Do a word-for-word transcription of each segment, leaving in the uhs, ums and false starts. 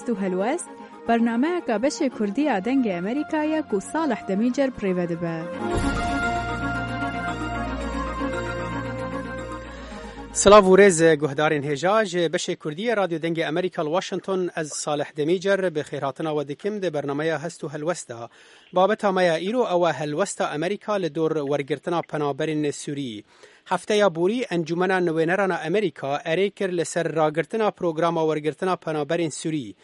Hest û Helwest, bernameyeka beşê Kurdî ya Dengê Amerîka ye ku Salih Demîcer bi rê ve dibe. Silav û rêz guhdarên hêja ji beşê Kurdî yê Radyo Dengê Amerîka li Washington, ez Salih Demîcer bi xêrhatina we dikim di bernameya Hest û Helwest de. Babeta me ya îro ew e helwesta Amerîka li dor wergirtina penaberên Sûrî. Hefteya borî Encûmena Nivêneran a Amerîka erê kir li ser ragirtina programa wergirtina penaberên Sûrî.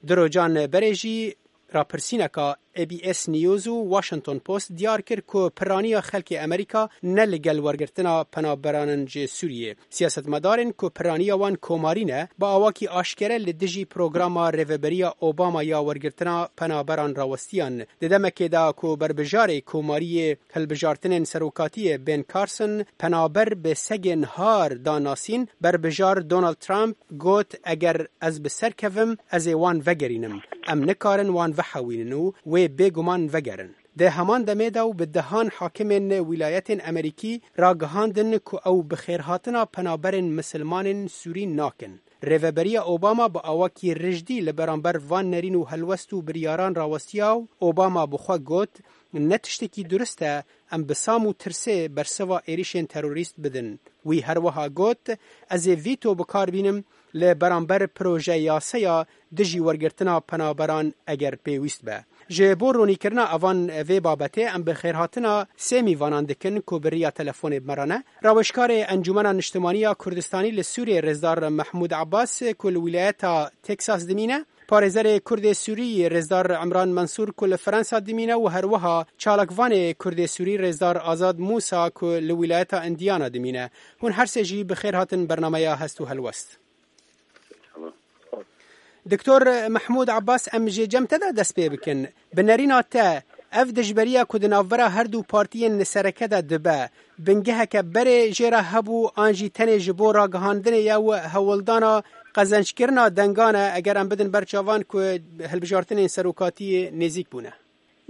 Du rojan berê jî rapirsîneka A B S News û Washington Post diyar kir ku piraniya xelkê Amerîka ne li gel wergirtina penaberan in ji Sûriyê. Siyasetmedarên ku piraniya wan komarî ne, bi awakî aşkere li dijî programa Rêveberiya Obama ya wergirtina penaberan rawestiyan. Di demekê de ku berbijarê komariyê hilbijartinên serokatiyê Ben Carson penaber bi segên har da nasîn, berbijar Donald Trump got, eger ez bi ser kevim, ez ê wan vegerînim. Em nikarin wan vehewînin û wê bêguman vegerin. Di heman demê de û bi dehan hakimên wîlayetên Amerîkî ragihandin ku ew bi xêrhatina penaberên misilmanên Sûrî nakin. Rêveberiya Obama bi awakî rijdî li beramber van nerîn û helwest û biryaran rawestiya û Obama bi xwe got, ne tiştekî durist e em bi sam û tirsê bersiva êrîşên terorîst bidin. Wî her wiha got, ez ê vîto bi kar bînim li beramber projeyaseya dijî wergirtina penaberan eger pêwîst be. Ji bo ronîkirina evan vê babetê em bi xêrhatina sê mîvanan dikin ku bi riya telefonê bi me re ne. Raweşkarê Encûmena Niştimanî ya Kurdistanî li Sûriyê Rêzdar Mehmûd Abbas ku li wîlayeta Texas dimîne, parêzerê Kurdê Sûrî Rêzdar Emran Mensûr ku li Fransa dimîne û her wiha çalakvanê Kurdê Sûrî Rêzdar Azad Mûsa ku li wîlayeta Îndiyana dimîne. Hûn her sê jî bi xêr hatin bernameya Hest û Helwest. Doktor Mehmûd Abbas, em ji cem te de dest pê bikin. Bi nerîna te, ev dijberiya ku di navbera her du partiyên li sereke de dibe, bingeheke berê jê re hebû an jî tenê ji bo ragihandinê ye û hewldana qezenckirina dengan e, eger em bidin ber çavan ku hilbijartinên serokatiyê nêzîk bûne?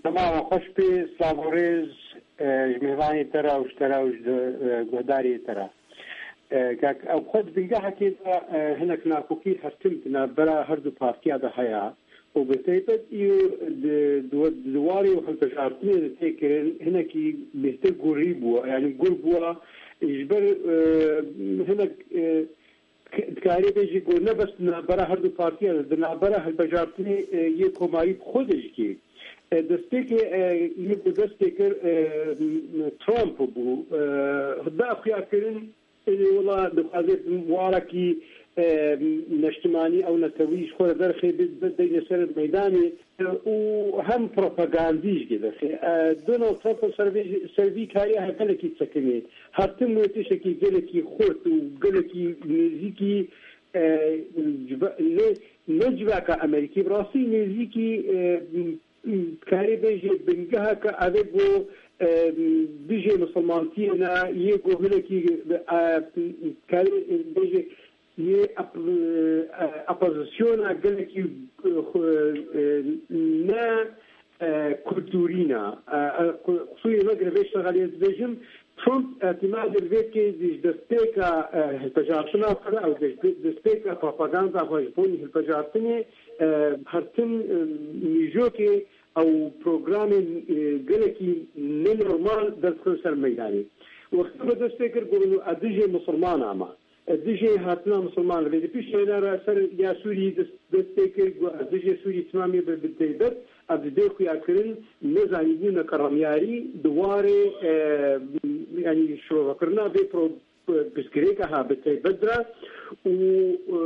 Dema we xweş bê, silav û rêz, e, ji mêvanê te re û ji te re û ji, e, guhdarê te re. E, kak, ew xwe di bingehekê de, e, hinek nakokî her tim di navbera her du partiya de heye û bi taybet îro di, di, di warê û hilbijartinê de tê kirin hinekî bêhtir gurî bûye, yanî gur bûye, ji ber, e, hinek, e, K-, dikarê bêjî ku ne bes di navbera her du partiyan, di navbera hilbijartinê, e, yê komarî bi xwe de jî kê. E, destpêkê, e, yê ku dest pê kir, e, m-, Trump bû. E, da xuyakirin, e, wela dixwaze warekî, e, neştimanî ew netewî ji xwe re derxê bi-, bi-, bideyne ser meydanê. û hem propagandî jî dixe. E, Donald Trump ser vê, ser vî karî gelekî sekinî. Her tim wê tiştekî gelekî xurt û gelekî nêzîkî, e, civa-, ne, ne civaka Amerîkî, bi rastî nêzîkî, e, m-, m-, karê bêjê bingeheke evê ku, e, dijê misilmantiyê ne, yê ku hinekî, e, karê bêjê yê ap-, e, opozisyona gelekî, e, xwe, e, ne, e, kulturî ne. E, e, qu-, qusûrê me girê vê şexelê dibêjim, Trump îtimadê li vê kê jî ji destpêka, e, hilbijartina xwe de, ew dest-, destpêka propaganda xwe ji bo hilbijartinê, e, her tim, e, mîjokê ew programên, e, gelekî nenormal derdixin ser meydanê. Wextê me dest pê kir, got, ez dijê misilmana me. Dijê hatina misilman li vê di piştî hêna re ser ya Sûrî dest, dest pê kir, got, ez dijê Sûrî timamê bi, bi taybet, ev dê xuya kirin, nezanîbûneke remyarî di warê, e, yanî şirovekirina vê pro-, pirsgirêka ha bi taybet de û, e,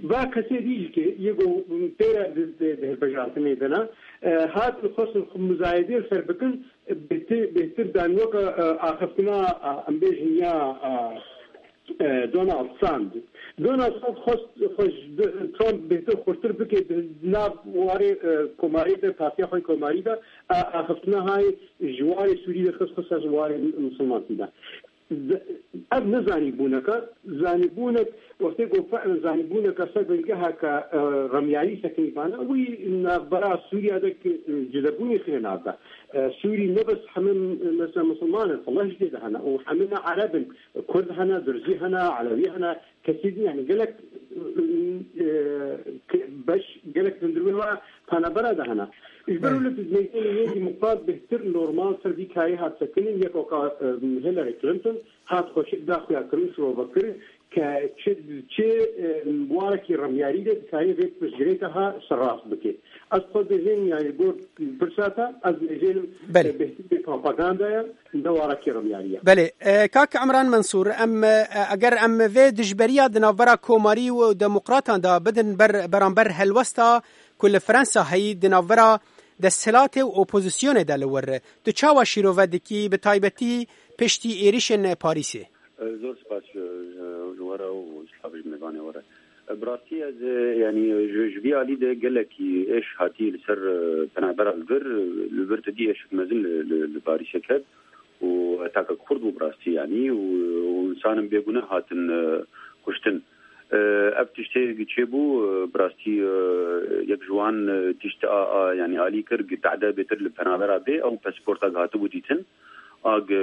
va kesê dî jî ke yê ku pê re di, di, di hilbijartinê de ne, e, hatin xwestin xwe muzayedê li ser bikin, bêhtir, bêhtir dan weke, e, axiftina, e, em bêjin ya, e, e, Donald Trump. Donald Trump xwest xwe ji Trump bêhtir xurtir bike di nav warê, e, komarî de, partiya xwe komarî de, e, axiftina hay ji warê Sûrî de xist xwe ser warê misilmantî de. Z-, ev ne zanîbûneke, zanîbûnek, wextê ku fe'len zanîbûneke ser bingeheke, e, remyarî sekinî bana, wî navbera Sûriya de ki, e, cidebûnê xire nav de. E, Sûrî ne bes heme, e, mesela Musulman in, Allah jî tê de hene, û heme ne Ereb in, Kurd hene, Durzî hene, Elewî hene, kesî din, yani gelek e, ke-, beş gelek hundir wê wa penabera de hene. Ji ber wilo tu nêzî yê demokrat bêhtir normal ser vî kayê hat sekinîn, yek oka, e, Hillary Clinton hat xweşik da xuya kirin, şirove kirin ke çi, çi, e, warekî remyarî de dikare vê pirsgirêka ha serrast bike. Ez xwe dibêjim, yani, gor pirsa te, ez dibêjim, Belê. e, bêhtir propaganda ye, ne warekî remyarî ye. Belê, e, kak Emran Mensûr, em, e, eger em vê dijberiya di navbera komarî û demokratan de bidin ber, beramber helwesta ku li Fransa heyî di navbera desthilatê û opozisyonê de li wir, tu çawa şîrove dikî, bi taybetî piştî êrişên Parîsê? E, zor spas ji, ji we re û slavê ji mêvanê we re. E, bi rastî ez, e, yanî ji, ji vî alî de gelekî êş hatî li ser, e, penabera li vir, li vir tu dî êşik mezin li, li, li Parîsê ket û hetake Kurd bû bi rastî yanî û, û insanên bêgune hatin, e, kuştin. E, ev tiştê çêbû, e, bi rastî, e, yek ji wan, e, tişt a, a, yanî alî kir, gi tehde bêtir li penabera bê, ew pasporta gi hatibû dîtin. A gi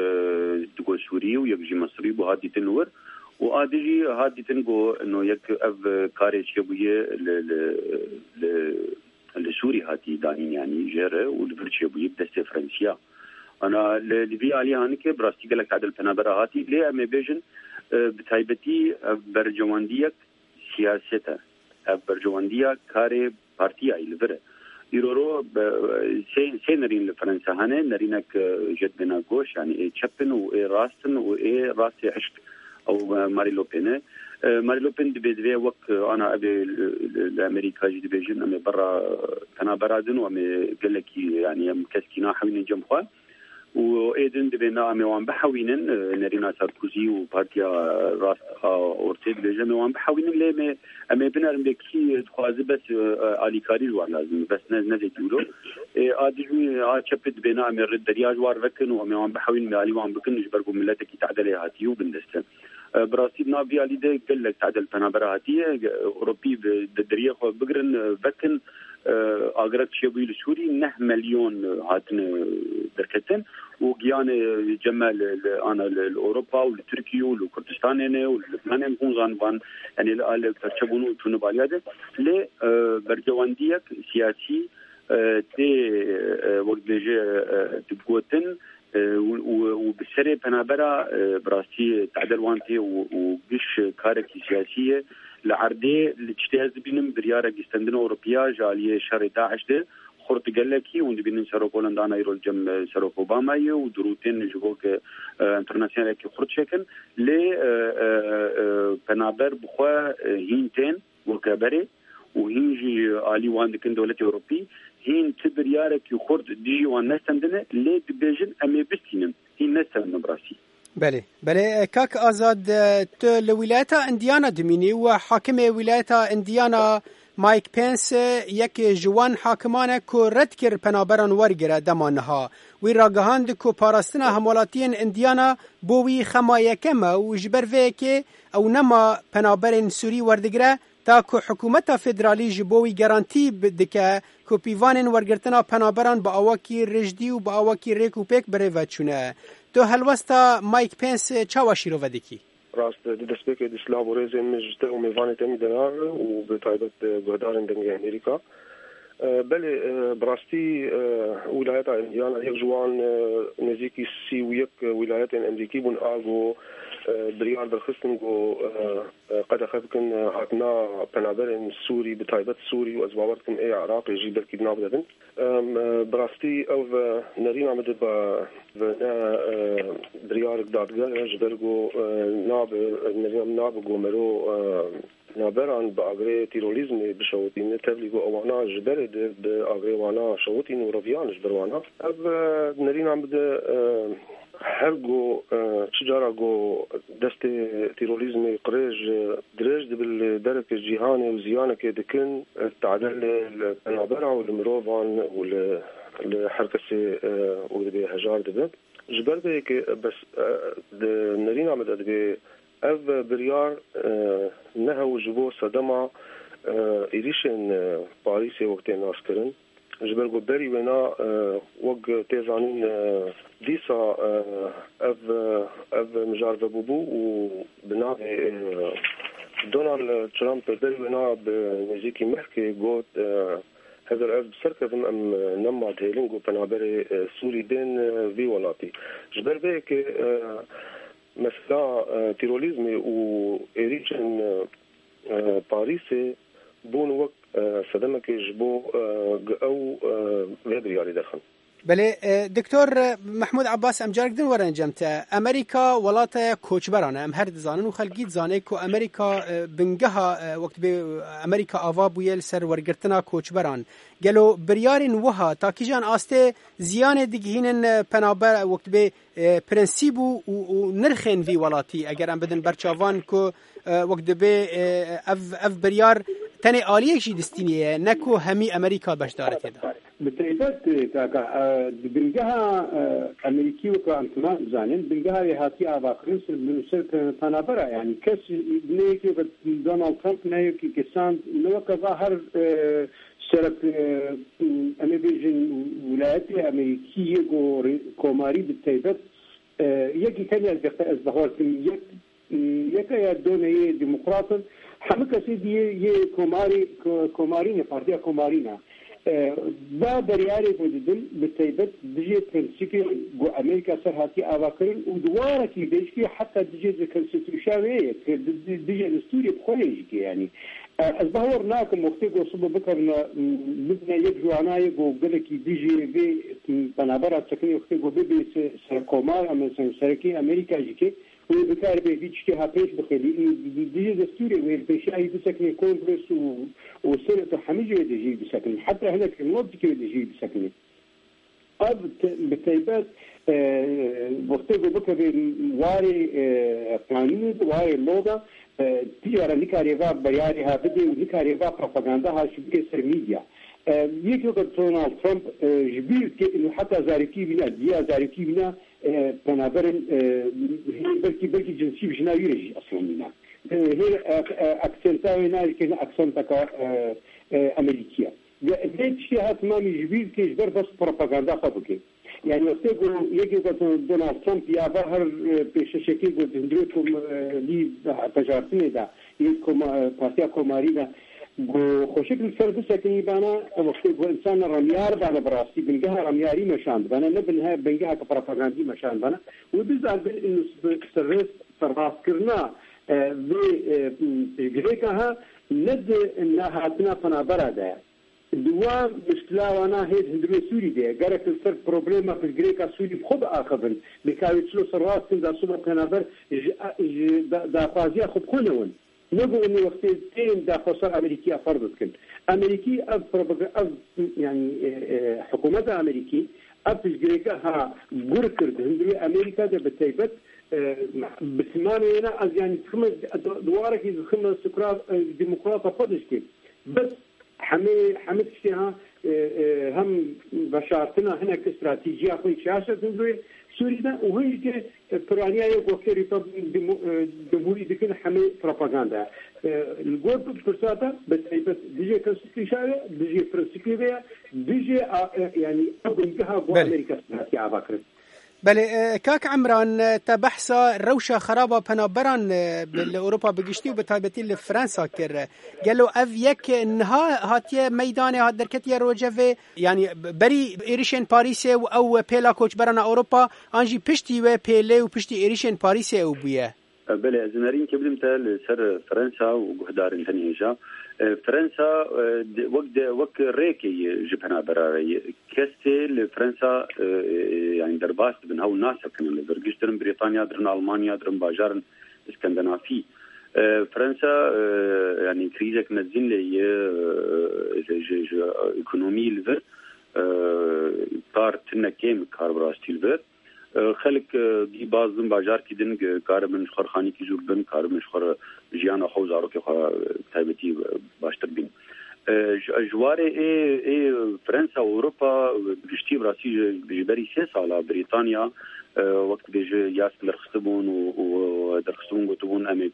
digo Sûrî û yek jî Misrî bû, hat dîtin wir. Û a di jî hat dîtin ku no yek ev karê çêbûye li, li, li, li Sûrî hatî danîn, yanî jê re û li vir çêbûye bi destê Fransiya. Ana li, li vî alî hanike bi rastî gelek tadil penabera hatî, lê em ê bêjin, e, bi taybetî ev bercewendiyek siyaset e. Ev bercewendiya karê partiyayî li vir e. Îroro be, sê, sê nerîn li Fransa hene, nerînek, e, jê dibêne goş, yanî ê çep in û ê rast in û ê rastê hişk. Ew, e, Marie Le Pen e. E, Marie Le Pen dibê divê wek, e, ana ev ê li, li, li Amerîka jî dibêjin, em ê berra, e, penabera din û em ê gelekî, yanî em keskî nahewînin cem xwe. Û ê din dibê me em ê wan bihewînin, e, nerîna Sarkozy û Partiya Rast a Ortê dibêje em ê wan bihewînin, lê me, em ê binerin bê kî dixwaze bes, e, alîkarî ji wan lazim e, bes ne, ne zêdî wilo. E, a dijî a çepê dibê na em ê rê derya ji wan vekin û em ê wan bihewînin, em ê alî wan bikin ji ber ku miletekî tedelê hatiye û bindest e. E, bi rastî di nav vî alî de gelek tedel penabera hatiye, e, Ewropî bi, di deriyê xwe bigirin, e, vekin, e, agirek çêbûyî li Sûrî neh milyon, e, hatine derketin û giyanê cem me li, li, ana li, li Ewropa û li Tirkiye û li Kurdistanê ne û li Libnanê hûn zan van, yanî li alê perçebûn û çûne baliya de. Lê, e, bercewendiyek siyasî, e, tê, e, wek dibêje, e, digotin, e, û, û, û bi serê penabera, e, bi rastî tedel wan tê û, û giş karekî siyasî ye. Li erdê li tiştê ez dibînim biryarek îstendina Ewropiya ji aliyê şerê DAIŞ de xurt gelekî, hûn dibînin Serok Holanda ana îro li cem, e, Serok Obama ye û dirûtên ji bo ke, e, internasyonalekî xurt çêkin. Lê, e, e, e, penaber bi xwe, e, hîn tên weke berê û hîn jî alî wan dikin dewletê Ewropî, hîn ti biryarekî xurt dijî wan nestendine, lê dibêjin em ê bistînin. Hîn nestendine bi rastî. Belê, belê, kak Azad, tu li wîlayeta Indiana dimînî û hakimê wîlayeta Indiana Mike Pence yek ji wan hakiman e ku red kir penaberan wergire dema niha. Wî ragihand ku parastina hemwelatiyên Indiana bo wî xema yekem e û ji ber vê yekê ew nema penaberên Sûrî werdigire, ta ku hikûmeta federalî ji bo wî garantî bi-, dike ku pîvanên wergirtina penaberan bi awakî rijdî û bi awakî rêk û pêk birêve çûne. Tu helwesta Mike Pence çawa şîrove dikî? Rast, di destpêkê de silav û rêzên min ji te û mêvanê te mî denar û bi taybet, e, guhdarên Dengê Amerîka. E, belê, e, bi rastî, e, wîlayeta Indiana yek ji wan, e, nêzîkî sî û yek wîlayetên Amerîkî bûn a ku, e, biryar derxistin ku, e, e, qedexe bikin, e, hatina penaberên Sûrî, bi taybet Sûrî û ez bawer dikim ê Iraqê jî belkî di nav de bin. Em, e, bi rastî ev, e, nerîna min dibe, bi ne, e, biryarek dadger e, ji ber ku, e, nabe, nerîna min nabe ku mero, e, penaberan bi agirê terorîzmê bişewitîne, tevlî ku ewana ji berê de bi agirê wana şewitîn û reviyan ji ber wana. Ev, e, nerîna min de, e, Her ku, e, çi cara ku destê terorîzmê qirêj, e, dirêj dibe li dereke cîhanê û ziyanekê dikin, e, tade li, li penabera û li mirovan û li, li her kesê, e, û dibê hejar dibe. Ji ber vê yekê, e, bes, e, di nerîna min de dibê ev biryar, e, ne hew ji bo sedema, e, êrîşên, e, Parîsê wek tê naskirin. Ji ber ku berî wêna, e, wek tê zanîn, e, dîsa, e, ev, e, ev mijar vebûbû û bi navê, e, Donald Trump ber wê niha bi nêzîkî mehkê got, e, hezir ez bi ser kevim, em, e, nema dihêlin ku penaberê, e, Sûrî bên, e, vî welatî. Ji ber vê yekê, e, mesela, e, terorîzmê û êrîşên, e, e, Parîsê bûn wek, e, sedemekê ji bo, e, ew, e, vê biryarê derxin. Belê, e, Doktor Mehmûd Abbas, em carek din werin cem te. Amerîka welate koçberan e. Em her dizanin û xelkî dizane ku Amerîka, e, bingeha, e, wek dibê Amerîka ava bûye li ser wergirtina koçberan. Gelo biryarên wiha ta kîjan astê ziyanê digihînin, e, penaber, wek dibê, e, prensîb û, û, û nirxên vî welatî, eger em bidin berçavan ku, e, wek dibê, e, ev, ev biryar tenê aliyek jî distînê ye, ne ku hemî Amerîka beşdar e tê de. Bi taybet, e, kaka, e, di bingeha, e, Amerîkî weke em temam dizanin, bingeha wê hatiye avakirin ser, ser penabera, yanî kes ne yekî weke Donald Trump, ne yekî kesan, ne weke va her, e, serek, e, em ê bêjin wilayetê Amerîkî yê ku rê-, komarî bi taybet, e, yekî tenê ez, ez bawer dikim, yek Yeke ya donê yê demokrat in, hemû kesê dî yê, yê komarî, ko-, komarî ne, partiya komarî ne. E, va beryarê ku didin, bi taybet dijê prensîpê ku Amerîka ser hatiye avakirin û di warekî bêjkî heta dijê di konstitûşa wê ye, ku di, di, dijê destûrê bi xwe yê jî ke, yanî. E, ez bawer nakim wextê ku sibe bikevine, m, bibine yek ji wana yê ku gelekî dijê vê, m, penabera çekinê wextê ku bibê se-, serokkomar, em, ser-, serekê Amerîka jî ke, wê bikaribê vî tiştê ha pêş bixêlî. Ê, di, di, dijî destûrê wê li pêşiya wî bisekine Kongres û, û Senet û hemî jê dijî bisekine. Heta hinek nod dike wê dijî bisekine. Ev te-, bi taybet, e, wextê ku bikeve warê, e, qanûnê de, warê lo de, e, tîjara nikarê va beryarê ha bidê û nikarê va propaganda ha jî bike ser medya. E, yekê weke Donald Trump, e, ji bîr dike û heta zarokî wî ne, diya zarokî wî ne, e, penaberên, e, hê belkî, belkî cinsî bi jina wî re jî eslendî ne. E, hê, e, e, aksenta wê nayê ke ne aksenteka, e, e, Amerîkî ye. Ve vê tiştê ha timamî ji bîr dike ji ber bes propaganda xwe bike. Yani wextê ku yekê ku Donald Trump ya va her, e, pêşeşekê ku di hundirê komî, e, lî veşartinê de yê koma-, e, Partiya Komarî de ku xweşik li ser bisekinî bana, wextê ku însan remyar bana bi rastî, bingeha remyarî meşand bana, ne binhe-, bingeheke propagandî meşand bana. Wê bizanibin inu bi serrêst serrastkirina, e, vê, e, piştgirêka ha ne di nehatina penabera de ye. Di wa mişkila wana hê di hundirê Sûrî de ye. Gerek li ser problema piştgirêka Sûrî bi xwe biaxivin. Bikawê çilo serrast kin da soba penaber ji, ji da-, daxwaziya xwe bi xwe newin. Ne ku em ê wextê tên daxwazar Amerîkî ya ferz dikin. Amerîkî ev propaga-, ev, yanî, e, e, hikûmeta Amerîkî ev piştgirêka ha gur kir di hundirê Amerîka de bi taybet, e, bi timamê wêna ez yanî dixime, di-, di warekî dixime sukra, e, demokrata xwe dişkê. Bes hemê, hemê tiştê ha, e, e, hem veşartina hinek stratejîya xwe şaş e hundirê Sûrî de û hin jî ke, e, piraniya yê ku wextê Rîpab-, Demo-, e, Cumhurî dikin hemê propaganda ye. E, li gor pirsa te bi taybet dijê konstitûşa ye, dijê prensîpê ve ye, dijê a, e, yanî ew bingeha ku Belê. Amerîka hatiye ava kirin. Belê, e, kak Emran, e, te behsa rewşa xeraba penaberan, e, bi, li Ewropa bi giştî û bi taybetî li Fransa kir. Gelo ev yek niha hatiye meydanê, hat derketiye rojevê? Yanî berî êrişên Parîsê û ew pêla koçberana Ewropa, an jî piştî wê pêlê û piştî êrişên Parîsê ew bûye? Belê, ez nerînkê bidim te li ser Fransa û guhdarên tenê hêja. E, Fransa, e, de, wek de, wek rêkê ye ji penabera re ye. Kes tê li Fransa, e, e, yani derbas dibin, hew nasekinin li vir. Giş dirin Brîtanya, dirin Almanya, dirin bajarên Skandinafî. E, Fransa, e, yani krîzek mezin lê ye, e, ji, ji, ji ekonomî li vir, e, kar tine kêm kar bi rastî li vir. E, xelk, e, dî baz bin bajarkî din, e, karibin ji xwe re xanîkî zû bibin, karibin ji xwe re jiyana xwe û zarokê xwe, e, taybetî, e, baştir bîn. E, ji, ji warê ê, ê Fransa û Ewropa, e, bi giştî bi rastî ji, ji berî sê sala Brîtanya, e, wek dibêje yas derxistibûn û, û derxistibûn gotibûn, em ê,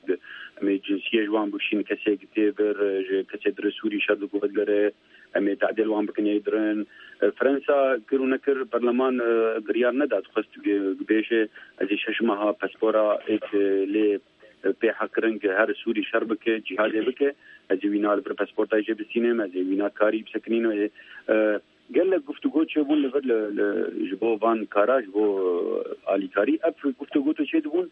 em ê cinsiyê ji wan bikişîn, kesê tê vir, e, ji kesê dire Sûrî şer diguhedgere, em ê tedêl wan bikin ê dirin. E, Fransa kir û nekir, perleman, e, biryar neda, dixwest bê-, bêje, ez ê şeş meha paspora êk, e, lê, e, pê heqkirin ki her Sûrî şer bike, cîhadê bike, ez ê wîna li vir pasportayê jê bistînim, ez ê wîna karî bisekinînim. E, gelek guftûgo çêbûn li vir li, li, ji bo van kara, ji bo, e, alîkarî. Ev guftûgo tu çêdibûn,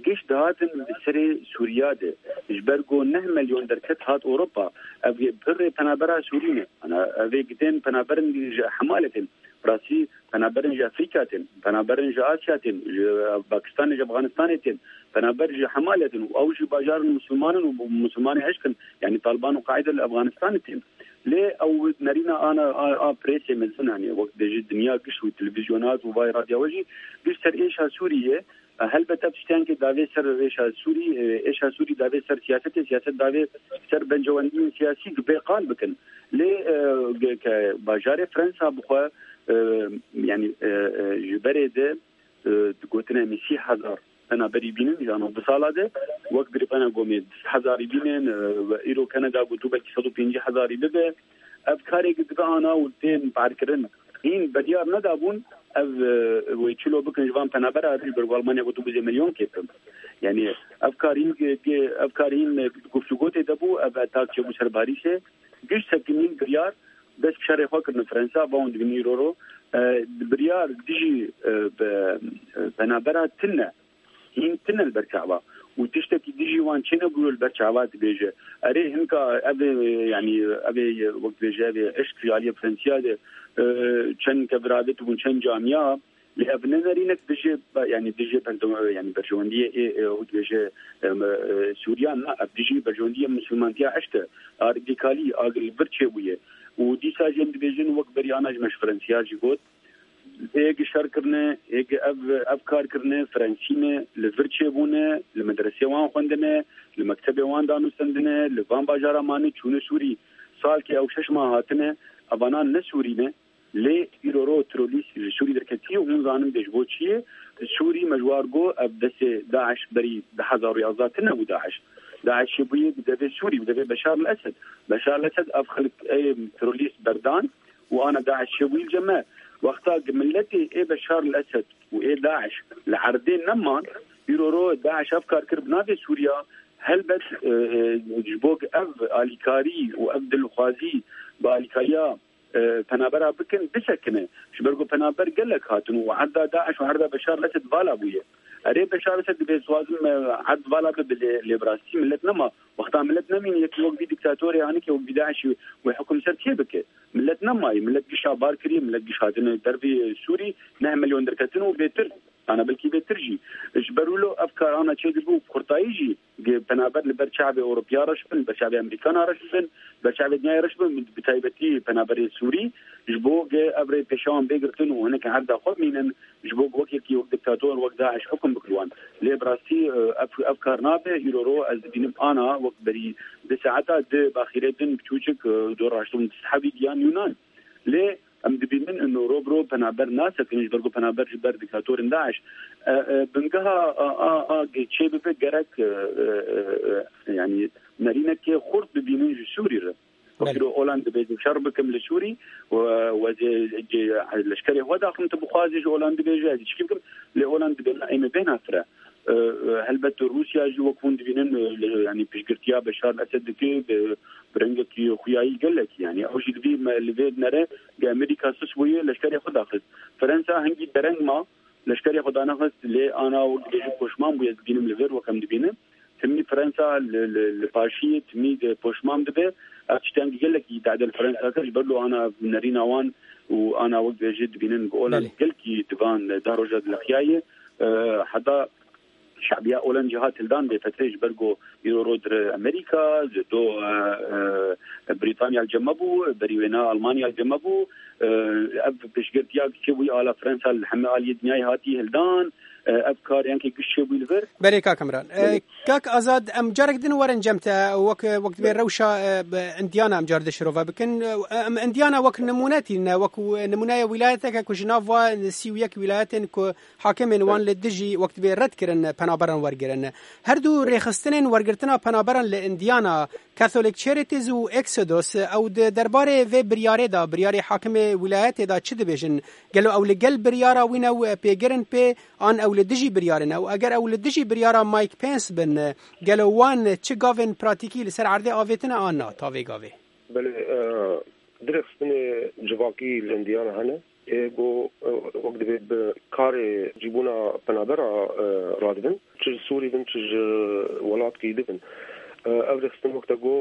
giş dihatin li serê Sûriya de. Ji ber ku neh milyon derket hat Ewropa. Ev pirê penabera Sûrî ne. Ana, ev ê gidên penaberin ji Hemalê tên. Rastî penaberin ji Efrîka tên, penaberin ji Asya tên, ji Pakistanê, ji Afganistanê tên, penaber ji Hemalê tên û ew jî bajarin Musulmanin û Musulmanê eşk in, yanî Taliban û Qaîde li Afganistanê tên. Lê ew nerîna ana a, a presê mezin, yanî wek dibêje dinya giş û televîzyonat û vay radyoya we jî giş ser êşa Sûriyê. E, helbet ev tiştên ki davê ser êşa Sûrî, e, êşa Sûrî davê ser siyasetê, siyaset davê ser bencewendiyên siyasî ki bê qal bikin. Lê, e, ge-, ke bajarê Fransa bixwe, e, yanî, e, e, ji berê de, e, digotine em ê sî hezar penaberî bînin, ji navbisala de, wek girêdana gomê du sed hezarî bînin, e, ve îro Kanada gotu belkî sed û pêncî hezarî bibe. Ev karê ki dibe ana û tên parkirin. Hîn biryar nedabûn, ev, e, wê çilo bikin ji van penabera, ji ber ku Almanya gotu bizê milyon kêtin. Yanî ev kar hîn, e, ev kar hîn, e, guftûgo tê de bû, ev atak çêbû ser Parîsê. Giş sekinîn biryar dest bi şerê xwe kirine Fransa, va hûn dibînin îro ro, e, biryar dijî, e, be, e, penabera tune. Hîn tune li ber çava. Û tiştekî dijî wan çênebûyo li ber çava dibêje. Erê, hinka ev ê, yanî, ev ê, wek dibêje, ev ê eşk ji aliyê Fransiya de, e, çend keviradetibûn, çend camiya, lê ev ne nerînek dijî, yanî dijî berdew-, yanî berjewendiyê ê, ê, wek dibêje, e, me, e, Sûriya, na, ev dijî berjewendiyê misilmantiya eşk e. A radikalî, a li vir çêbûye. Û dîsa jî em dibêjin, wek berî ana ji me ji Fransiya jî got, ê gi şer kirine, ê gi ev, ev kar kirine, Frensî ne, li vir çêbûne, li medresê wan xwendine, li mektebê wan danûstendine, li van bajara mane çûne Sûrî. Salkê ew şeş mah hatine, evana ne Sûrî ne, lê îro ro terorîst ji Sûrî derketiye, hûn zanin bê ji bo çi ye? Sûrî me ji war got, ev destê DAIŞ berî du hezar û yazdeh tune bû DAIŞ. DAIŞ çêbûye bi devê Sûrî, bi devê Beşar el Esed. Beşar el Esed ev xelk ê terorîst berdan, û ana DAIŞ çêbûyî li cem me. Wexta ki miletê ê Beşar el Esed û ê DAIŞ li erdê neman, îro ro DAIŞ ev kar kir bi navê Sûriya, helbet, e, e, ji bo ki ev alîkarî û ev dilxwazî bi alîkariya, e, penabera bikin, bisekine. Ji ber ku penaber gelek hatin û erda DAIŞ û erda Beşar el Esed vala bûye. Erê Beşar el Esed dibê dixwazim, e, erd vala bibe, lê, lê bi rastî milet nema. Wexta milet nemîne, yekî wek vî dîktatorê, anîkê wek vî DAIŞî wê hukum ser kê bike? Milet nemayî, milet gişa bar kiriye, milet giş hatine dervê Sûrî, neh milyon derketin û bêtir, ana belkî bêtir jî. Ji ber wilo ev kar ana çêdibû, kurtayî jî, ge penaber li ber çavê Ewropiya reş bin, li ber çavê Amerîkana reş bin, li ber çavê dinyayê reş bin, bi taybetî penaberê Sûrî, ji bo ge ev rê pêşewan bê girtin û hinek erda xwe bimînin, ji bo wek yekî wek diktator, wek DAIŞ hukum bikir wan. Lê bi rastî, e, ev, ev kar nabe. Îro ro ez dibînim ana wek berî di saeta di baxîrê din biçûçik, e, dor raştibûn di sehevî giyan Yunan. Lê em dibînin ino ro bi ro penaber nasekin, ji ber ku penaber ji ber diktatorên DAIŞ. E, e, bingeha a, a, a, çê bibe gerek, e, e, e, e, yanî nerînekê xurt bibînin ji Sûrî re. Belê. Wekî Olan dibêje şer bikim li Sûrî, we, we zê, cê, leşkerê xwe daxim, tu bixwazî ji Olan dibêje, ez çikî bikim, lê Olan dibê na, ê me bêhna fire. E, e, helbet Rûsya jî wek hûn dibînin, e, li, yanî piştgirtiya Beşar Esed dike, bi, bi rengekî xuyayî gelek, yanî ew jî divî me, li vê nere, ge Amerîka sus bûye, leşkerê xwe daxist. Fransa hingî dereng ma, leşkerê xwe danexist, lê ana wek dibêje poşman bûye, ez dibînim li vir wek em dibînin. Timî Fransa li, li, li paşiyê timî de poşman dibe. Ev tiştên gelekî dade li Fransa kir, ji ber lo ana nerîna wan û ana wek dibêje dibînin bi Olan Belê. Gelkî divan da roja dilexiyaye. E, heta şebiya Olan cihat hildan bê fetrê, ji ber go îro ro dir Amerîka, ji do, e, e, Brîtanya li cem me bû, berî wêna Almanya li cem me bû. E, ev pêşgirtiya çêbûyî ala Fransa li hemî aliyê dinyayê hatî hildan. E, ev kar yankê giş çêbûyî li vir. Belê, kak Imran. E, Belê. Kak Azad, em carek din werin cem te, wek, wek divê Belê. Rewşa, e, bi, indiyana em car dişirove bikin. E, em indiyana wek nimûne tîne, wek nimûneya wîlayeteke ku ji nav va sî û yek wîlayetên ku hakimên wan Belê. Li dijî wek divê red kirin penaberan wergirin. Her du rêxistinên wergirtina penaberan li Indiana, Catholic Charities û Exodus, ew di derbarê vê biryarê de, biryarê hakimê wîlayetê de çi dibêjin? Gelo ew li gel biryara wî ne û pêgirin pê, an ew li dijî biryarê ne û eger ew li dijî biryara Mike Pence bin, gelo wan çi gavên pratîkî li ser erdê avêtine an na ta vê gavê? Belê, e, dirêxistinê civakî li Îndiyana hene. Ê ku, e, wek divê bi karê cîbûna penabera, e, radibin, çi ji Sûrî bin, çi ji welatkî dibin. E, ev rêxistin wek te got,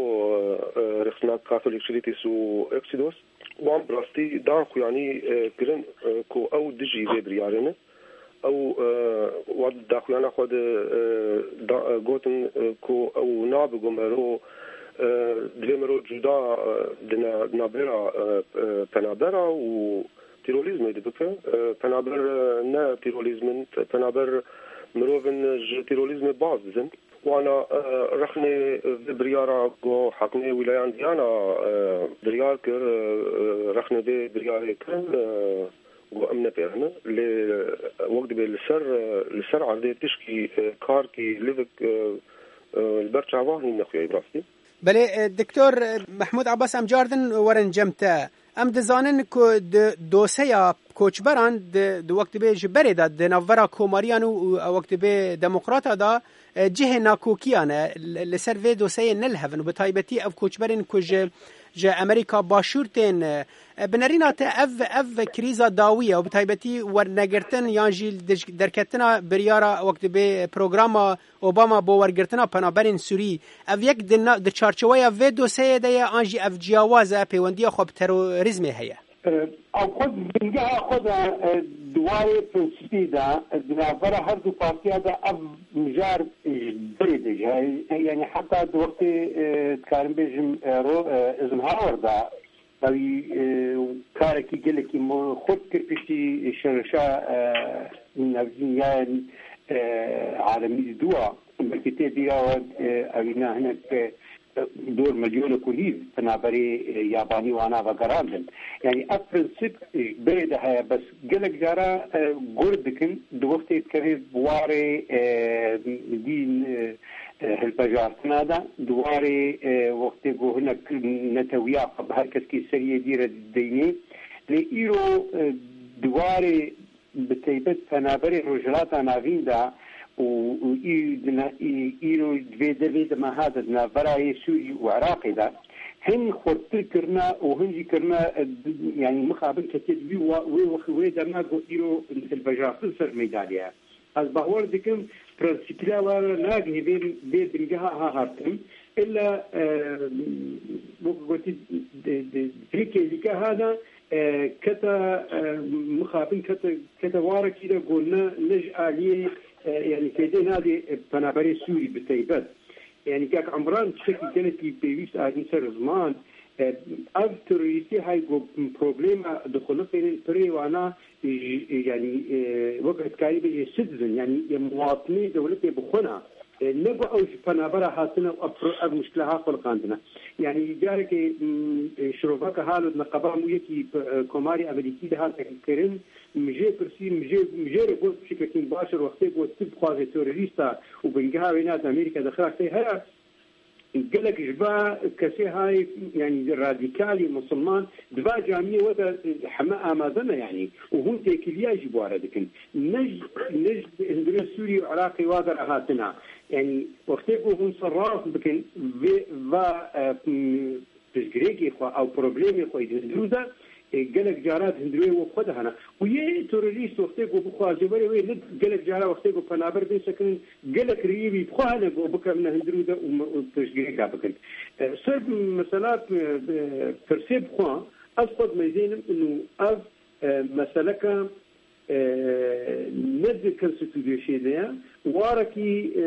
e, e, rêxistina Katholîk Charities û Exodus, wan bi rastî dan xuyanî, e, kirin, e, ku ew dijî vê biryarê ne. Ew, e, wan daxuyana xwe de, e, da, e, gotin, e, ku ew nabe ku mero, e, divê mero cuda, e, di na-, navbera, e, e, penabera û tîrolîzmê de bike. E, penaber, e, ne tîrolîzm in, penaber mirov in ji tîrolîzmê baz didin. Wana, e, rexnê vê biryara ku Hakimê Wîlayan Diyana, e, biryar kir, e, e, rexnê vê biryarê kirin, e, ku em nepêrine. Lê wek dibê li ser, e, li ser erdê tişkî, e, karkî livik, e, e, li ber çavan hîn nexuya bi rastî. Belê, e, Doktor, e, Mehmûd Abbas, em cardin werin cem te. Em dizanin ku di doseya koçberan di, di wek dibê ji berê de di navbera komariyan û, û wek dibê demokrata de, e, cihê nakokiyan e. Li, li ser vê doseyê ne li hev in û bi taybetî ev koçberên ku ji, ji Amerîka Başûr tên, e, e, bi nerîna te ev, ev krîza dawî ye û bi taybetî wernegirtin yan jî dij-, derketina biryara wek dibê programa Obama bo wergirtina penaberên Sûrî, ev yek di na-, di çarçoweya vê doseyê de ye, an jî ev ciyawaz e, pêwendiya xwe bi terorîzmê heye? E, ew xwe di bingeha xwe de, e, di warê prensîpî de, e, di navbera her du partiya de ev mijar ji berê de jî heye. E, yanî heta di wextê, e, dikarim bêjim, e, ro-, e, Eisenhower de, Ewî, e, karekî gelekî mo-, xurt kir piştî şerşa, e, navîn ya, e, alemî di dû a. Belkî tê bîra we, e, ewî na hinek, e, dor milyonek û nîv penaberê, e, yabanî wana vegerandin. Yanî ev prensîp, e, berê de heye, bes gelek cara, e, gur dikin, di wextê dikeve bi warê, e, dîn, e, e, hilbijartina de, di warê, e, wextê ku hinek netewiya xwe bi her keskî seriyê dî re dideyne. Lê îro, e, di warê bi taybet penaberê Rojhilata Navîn de û, û î-, di na-, î-, îro di vê de, vê de meha de di navbera yê Sûrî û Iraqê de hin xurttir kirine û hin jî kirine, e, di-, yanî mixabin ketiye di wî wa-, wê wex-, wê dema ku îro hilbijartin ser meydanê ye. Ez bawer dikim, prensîpîla wan re nagihê vê, vê bingeha ha hatin. Illa, e, wek gotî, di, di, di vê kêlîka ha de, e, kete, e, mixabin kete, kete warekî de ku ne, ne ji aliyê, e, yanî fêdê nadê, e, penaberê Sûrî bi taybet. Yanî kak Emran tiştekî gelekî pêwîst anî ser ziman, e, ev terorîstî hay ku problema dixuliqînin pirê wana, j-, yanî, e, wek dikarî bêjî citizen, yanî, e, muwatinê dewletê bi xwe ne. E, ne ku ew ji penabera hatine û ev pro-, ev muşkila ha xuliqandine. Yanî carekê, m, e, şiroveke halo di neqeba mûyekî, e, komarê Amerîkî de hate kirin, min jê pirsî, min jê, min jê re got piçekekî baş e, wextê got tu bixwazê terorîsta û bingeha wê ne di Amerîka de xiraktê heye, gelek ji va kesê hay, yanî radîkalî misilman, di va camiyê we de heme amade ne, yanî, û hûn têkiliya jî bi wa re dikin. Ne ji, ne ji hundirê Sûrî û Iraqê wa de re hatina. Yanî, wextê ku hûn serrast bikin, vê va, e, m, piştgirêkê xwe, ew problemê xwe yê di hundirû de, e, gelek cara di hundirê we xwe de hene. Û yê terorîst wextê ku bixwaze were wê, ne gelek cara wextê ku penaber bên sekirin, gelek rêyê wî bi xwe hene ku bikevine hundirû de û me-, û piştgirêka bikin. E, ser mesela, e, e, pirsê bi xwe, ez xwe dimeyzênim û ev, e, meseleke, e, ne di konstitûsyonê de ye, warekî, e,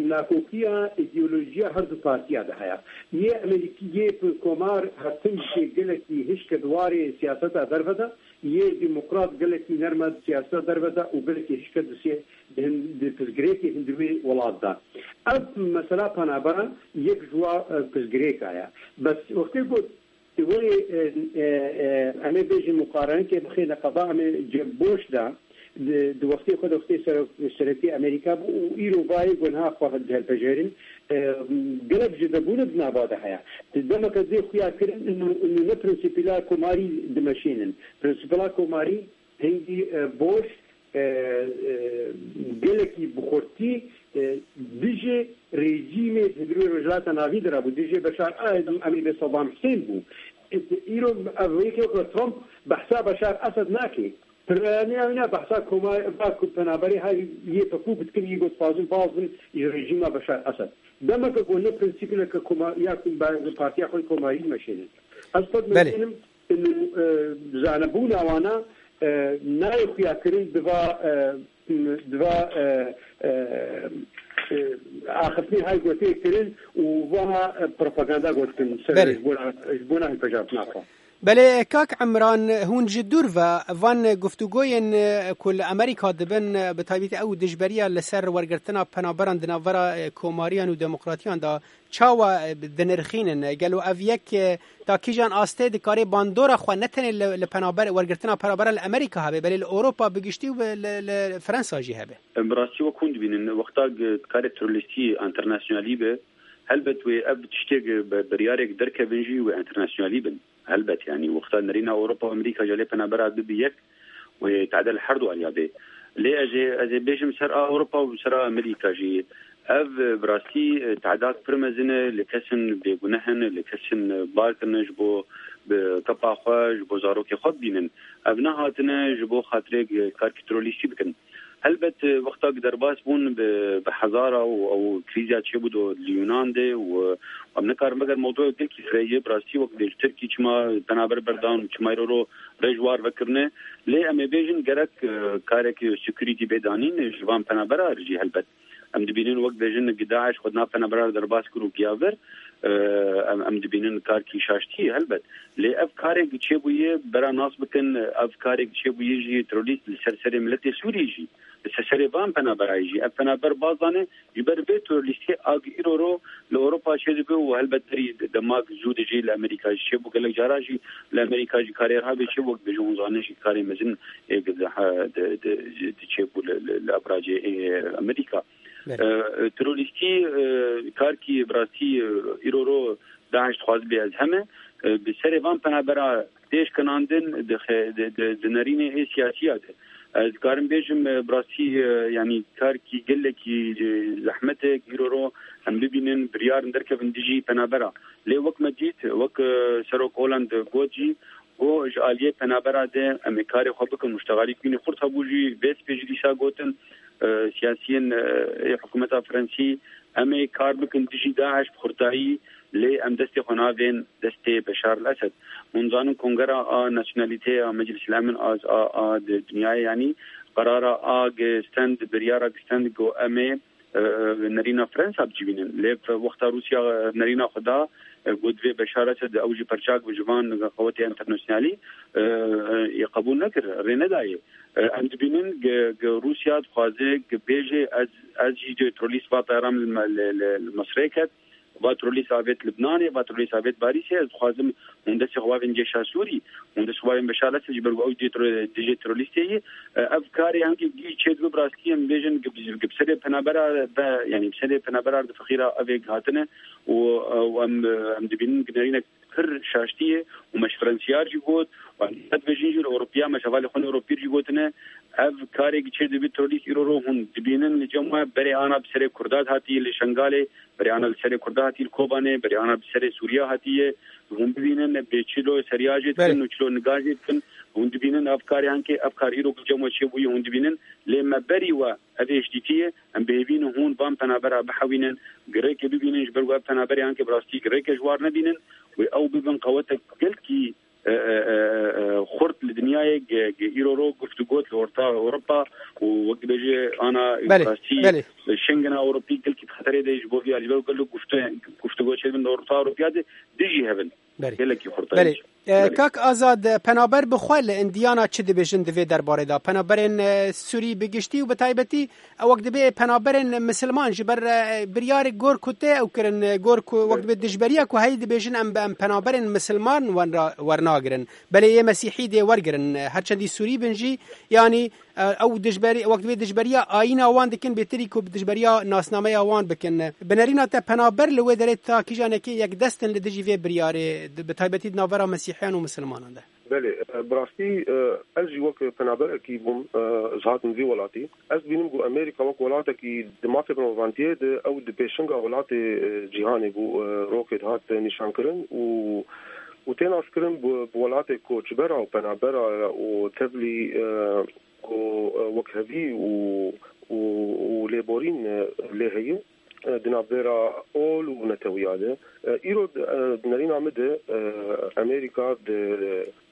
nakokiya îdeolojiya her du partiya de heye. Yê Amerîkî, yê komar hetin jî gelekî hişk e di warê siyaseta derve de, yê demokrat gelekî nerm e di siyaseta derve de û gelekî hişk e di sê-, di hin-, di piştgirêkê hundirê welat de. Ev mesela penaberan yek ji wa, e, piştgirêka ye. Bes wextê ku Ti werê, e, e, e, em ê bêjin muqarenekê bixêne qeda, em ê cem boş de, di, di wextê xwe de wextê serok-, serekî Amerîka bû û îro bayê gunha xwe dihilpejêrin. E, gelek ji vebûne di nava de heye. Di demeke zê xuya kirin, inu, inu ne prensîpîla komarî dimeşînin. Prensîpîla komarî hingî, e, boş, e, e, gelekî bi xurtî, e, dijî rejîmê di Rojhilata Navîn de rabû, dijî Beşar Esedî, em ê bê Sedam Husên bû. E, îro ev yekê weke Trump behsa Beşar Esed nake. Piraniya wî ne behsa koma-, va ku penaberê hay yê pepû bitikin, yê got dixwazin bazin ji rejîma Beşar Esed. Demeke ku ne prensîpineke koma-, ya ku be-, partiya xwe komarî meşênin. Ez xwe Belê. Dibêjim, inu, e, zanebûna wana, e, nayê xuyakirin diva, e, diva, e, e, e, axiftinê hay gotê kirin û va, e, propaganda gotin ser Belê. Ji bona, ji bona hilbijartina xwe. Belê, kak Emran, hûn ji dûr ve van guftûgoyên, e, ku li Amerîka dibin, e, bi taybetî ew dijberiya li ser wergirtina penaberan di navbera, e, komariyan û demokratiyan de çawa, e, dinirxînin? Gelo ev yek, e, ta kîjan astê dikare bandora xwe ne tenê li, li penaber, wergirtina penaberan li Amerîka hebe, belê li Ewropa bi giştî û bi, li, li Fransa jî hebe? Bi rastî wek hûn dibînin, wexta g-, karê terorîstî enternasyonalî be, helbet wê ev tiştê g-, be-, biryarek derkevin jî wê enternasyonalî bin. Helbet, yanî wexta nerîna Ewropa û Amerîka ji aliyê penabera bibî yek, wê tade li her du aliya bê. Lê ez ê, ez ê bêjim ser a Ewropa û ser a Amerîka jî. Ev, bi rastî, tehdek pir mezin e, li kesin bêguneh in, li kesin bar kirine ji bo bi kepa xwe, ji bo zarokê xwe bibînin. Ev nehatine ji bo xatirê karkî terorîstî bikin. Helbet, wexta ku derbas bûn bi, bi hezara û ew krîza çêbû do li Yûnan de û em nikarin veger mewdûyek gelkî fireh ye, bi rastî wek dibêjin Tirkî çima penaber berdan û çima îro ro rê ji war vekirine. Lê em ê bêjin gerek, e, karek security bê danîn ji van penabera jî helbet. Em dibînin wek dibêjin gi DAIŞ xwe di nav penabera derbas kir û giya vir, e, em, em dibînin karkî şaştî ye helbet. Lê ev karek çêbûye bera nas bikin, ev karek çêbûye jî terorîst li ser serê miletê Sûrî jî, li ser serê van penaberayê jî. Ev penaber baz dane, ji ber vê terorîstê a gi îro ro li Ewropa çêdibe û helbet berî demak zû de jî li Amerîka jî çêbû. Gelek cara jî li Amerîka jî karê rabe çêbû, wek dibêjin hûn zanin jî karê mezin ê di, di, di, di çêbû li, li, li abracê ê Amerîka. Belê. E, terorîstî, e, karkî bi rastî, e, îro ro DAIŞ dixwaze bê ez heme, e, bi serê van penabera tê şkinandin di xe-, di, di, di nerînê ê siyasiya de. Ez dikarim bêjim, e, bi rastî, e, yanî karkî gelekî, e, zehmet e, îro ro em bibînin, biryarin derkevin dijî penabera. Lê wek me dît, wek, e, Serok Hollande got jî, got ji aliyê penabera de em ê karê xwe bikin, muştegalî bînî xurt hebû jî, vê spê jî dîsa gotin, e, siyasiyên, e, ê hikûmeta Fransî, em ê kar bikin dijî DAIŞ bi xurtayî, lê em destê xwe navên destê Beşar el Esed. Hûn zanin Kongera a Nasyonalîteya Meclis el Emin a, a, a di dinyayê, yanî qerara a gi stend, biryara gi stend got em ê, e, nerîna Fransa bicivînin. Lê wexta Rûsya nerîna xwe da, e, got divê Beşar Esed ew jî perçak bi ji van qewetê enternasyonalî, e, e, yê qebûl nekir, rê nedayê. E, em dibînin gi, gi Rûsya dixwaze gi bêje ez, ez jî dê terorîst va tayara min li, li, li, li Misrê ket, va terorîst avêt Libnanê, va terorîst avêt Parîsê, ez dixwazim hûn destê xwe bavên cêşa Sûrî, hûn destê xwe bavên Beşar Esed ji ber ku ew dê tero-, dijê terorîstê ye. E, ev karê hingî gî çêdibe bi rastî em bêjin gi bi, gi bi serê penabera ve, yanî bi serê penabera di fixîra ev ê hatine û, e, û em, em dibînin gi nerînek pir şaştî ye û me ji Fransiyar jî got, û em dîsa dibêjin jî li Ewropiya me ji hevalê xwe Ewropîr jî gotine, ev karê gi çêdibe terorîst îro ro hûn dibînin li cem we berê ana bi serê Kurda hatiye li Şengalê, berê ana li serê Kurda hatiye li Kobanê, berê ana bi serê Sûriya hatiye, hûn bibînin bê çilo seriya jê dikin Belê. Û çilo niga jê dikin, hûn dibînin ev karê hankê, ev kar îro ku cem we çêbûye, hûn dibînin, lê me berî we ev êşdîtî ye, em bi hêvî ne hûn van penabera bihewînin, girêkê bibînin, ji ber ku ev penaberê hankê bi rastî girêke ji war nebînin, wê ew bibin qewetek gelkî, e, e, e, e, xurt li dinyayê ge-, ge-, îro ro guftûgot li Orta Ewropa û wek dibêje ana Belê, rastî belê. Şengena Ewropî gelkî di xeterê de ji bo vî alî ber gelek gufte-, guftûgo çêdibin li Orta Ewropiya de dijî hevin. Belê. Gelekî xurt Belê. e, Belê. Kak Azad, e, penaber bi xwe li indiyana çi dibêjin di vê derbarê de? Penaberên, e, Sûrî bi giştî û bi taybetî, e, wek dibê penaberên misilman ji ber, e, biryarê gor ku tê ew kirin, e, gor ku wek dibê dijberiya ku heyî dibêjin em, em penaberên misilman wenra-, wernagirin. Belê yê Mesîhî dê wergirin, e, her çendî Sûrî bin jî, yanî, e, ew dijberî-, wek dibê dijberiya ayîna wan dikin, bêtirî ku bi dijberiya nasnameya wan bikin. Bi nerîna te penaber li wê derê ta kîjanekê yekdest in li dijî vê biryarê, di, bi taybetî di navbera Mesîhiyan û misilmanan de? Belê, e, bi rastî, e, ez jî wek penaberekî bûm, e, ji hatim vî welatî. Ez dibînim ku Amerîka wek welatekî di mafê mirovantiyê de ew di pêşinga welatê, e, cîhanê bû, e, rokê dihat nîşankirin û, û tê naskirin bi, bi welatê koçbera û penabera û tevlî, e, ku, e, wekhevî û, û, û lêborîn, e, lê heye, e, di navbera ol û netewiya de. E, îro, e, di nerîna min de, e, Amerîka di,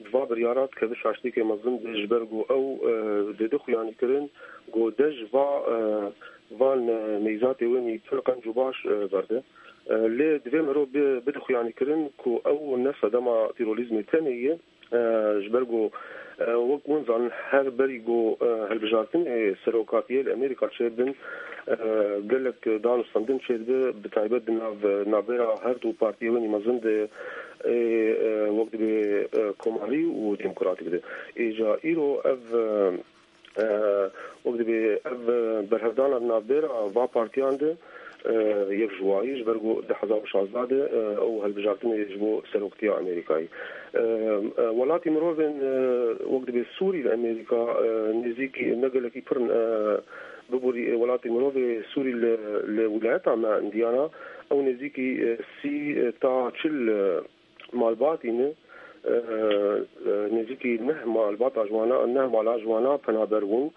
di va biryara dikeve şaştiyeke mezin de, ji ber ku ew, e, dide xuyanîkirin ku dej va, e, van, e, neyzatê wenî pir qenc û baş, e, verde. E, lê divê mirov bi-, bide xuyanîkirin ku ew ne sedema tîrolîzmê tenê ye, e, ji ber ku, e, wek hûn zanin, her berî ku, e, hilbijartinê serokatiyê li Amerîka çêdibin, e, gelek dan û stendin çêdibe, bi taybet di nav, navbera her du partiyê wenî mezin de, ê, e, wek dibê, e, komarî û demokratîk de. Êca îro ev, e, e, wek dibê ev, e, berhevdana di navbera va partiyan de, e, yek ji wayî, ji ber ku di hezar û şazdeh de, e, ew hilbijartinê ji bo seroktiya Amerîkayê. E, e, welatî mirovên, e, wek dibê Sûrî li Amerîka, e, nêzîkî ne gelekî pir in, e, biborî, e, welatî mirovê Sûrî li, li wilayeta me Îndiyana, ew nêzîkî, e, sî, e, ta çil, e, malbatî ne, e, e, nêzîkî neh malbata ji wana, neh mala ji wana penaber bûn.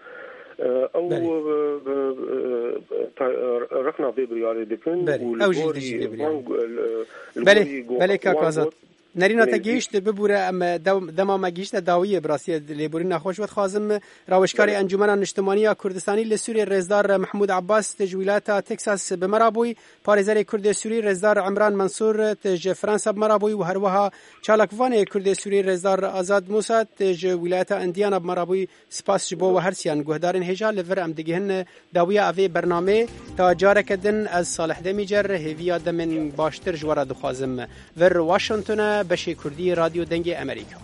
E, ew, Belê. e, e, e, ta-, e, rexna vê biryarê dikin Belê, û li ew jî gorî dijî vê biryarê. van, e, li Belê, gorî go-, belê, kak van Azad. got, Nerîna te nêzîk gihîşt bibûre, em, e, dew-, dema me gihîşte dawiyê, bi rastî lêborîna xwe ji we dixwazim. Rawêjkarê Belê. Encûmena Niştimanî ya Kurdistanî li Sûriyê, Rêzdar Mehmûd Abbas, te ji wîlayeta Texas bi me re bûyî. Parêzerê Kurdê Sûrî Rêzdar Emran Mensûr, te ji Fransa bi me re bûyî û herwiha çalakvanê Kurdê Sûrî Rêzdar Azad Musa, te ji wîlayeta Îndiyana bi me re bûyî. Spas ji bo we her siyan. Guhdarên hêja, li vir em digihin dawiya evê bernamê. Ta careke din, ez Salih Demîcer, hêviya demên baştir ji we re dixwazim. Vir Washington e, beşê Kurdî, Radyo Dengê Amerîka.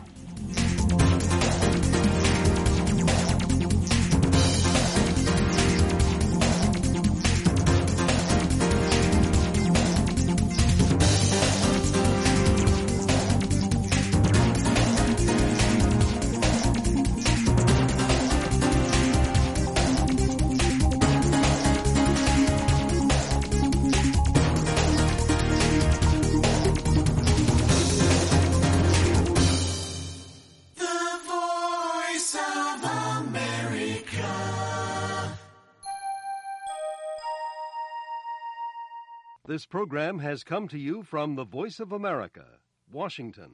The Voice of America. This program has come to you from the Voice of America, Washington.